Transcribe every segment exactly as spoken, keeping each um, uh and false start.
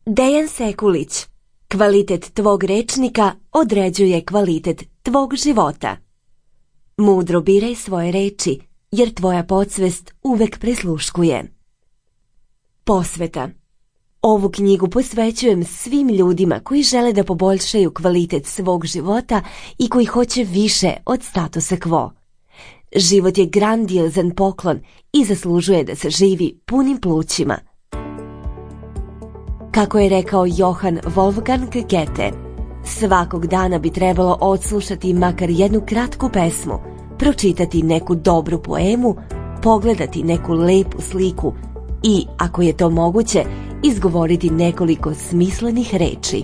Dejan Sekulić. Kvalitet tvog rečnika određuje kvalitet tvog života. Mudro biraj svoje reči, jer tvoja podsvest uvek prisluškuje. Posveta. Ovu knjigu posvećujem svim ljudima koji žele da poboljšaju kvalitet svog života i koji hoće više od statusa quo. Život je grandiozan poklon i zaslužuje da se živi punim plućima. Kako je rekao Johann Wolfgang Goethe, svakog dana bi trebalo odslušati makar jednu kratku pesmu, pročitati neku dobru poemu, pogledati neku lepu sliku i, ako je to moguće, izgovoriti nekoliko smislenih reči.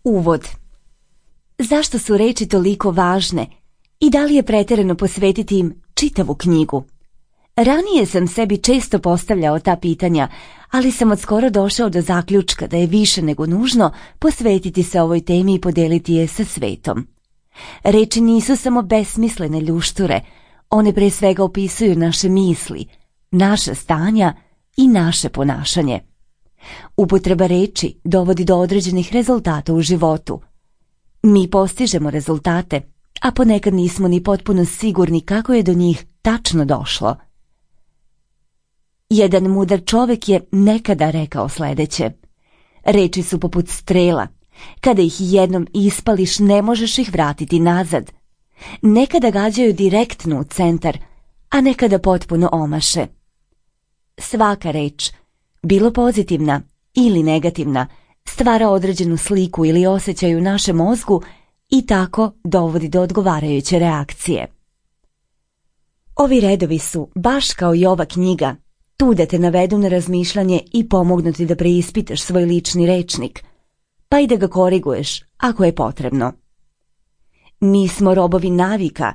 Uvod. Zašto su reči toliko važne i da li je pretjerano posvetiti im čitavu knjigu? Ranije sam sebi često postavljao ta pitanja, ali sam odskoro došao do zaključka da je više nego nužno posvetiti se ovoj temi i podeliti je sa svetom. Reči nisu samo besmislene ljušture, one pre svega opisuju naše misli, naša stanja i naše ponašanje. Upotreba reči dovodi do određenih rezultata u životu. Mi postižemo rezultate, a ponekad nismo ni potpuno sigurni kako je do njih tačno došlo. Jedan mudar čovjek je nekada rekao sljedeće: reči su poput strela, kada ih jednom ispališ ne možeš ih vratiti nazad. Nekada gađaju direktno u centar, a nekada potpuno omaše. Svaka reč, bilo pozitivna ili negativna, stvara određenu sliku ili osjećaj u našem mozgu i tako dovodi do odgovarajuće reakcije. Ovi redovi su, baš kao i ova knjiga, tu da te navedu na razmišljanje i pomognu ti da preispitaš svoj lični rečnik, pa i da ga koriguješ ako je potrebno. Mi smo robovi navika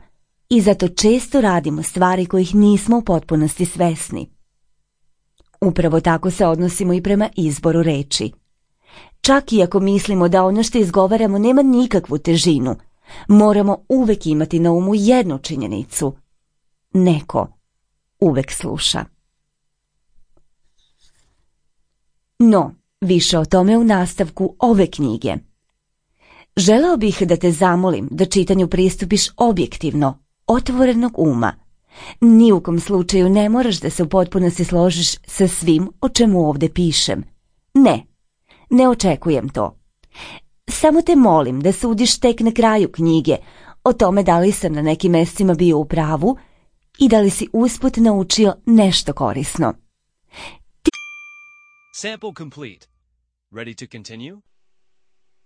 i zato često radimo stvari kojih nismo u potpunosti svesni. Upravo tako se odnosimo i prema izboru reči. Čak i ako mislimo da ono što izgovaramo nema nikakvu težinu, moramo uvek imati na umu jednu činjenicu. Neko uvek sluša. No, više o tome u nastavku ove knjige. Želeo bih da te zamolim da čitanju pristupiš objektivno, otvorenog uma. Ni u kom slučaju ne moraš da se u potpunosti složiš sa svim o čemu ovdje pišem. Ne, ne očekujem to. Samo te molim da sudiš tek na kraju knjige o tome da li sam na nekim mjestima bio u pravu i da li si usput naučio nešto korisno. Sample complete. Ready to continue?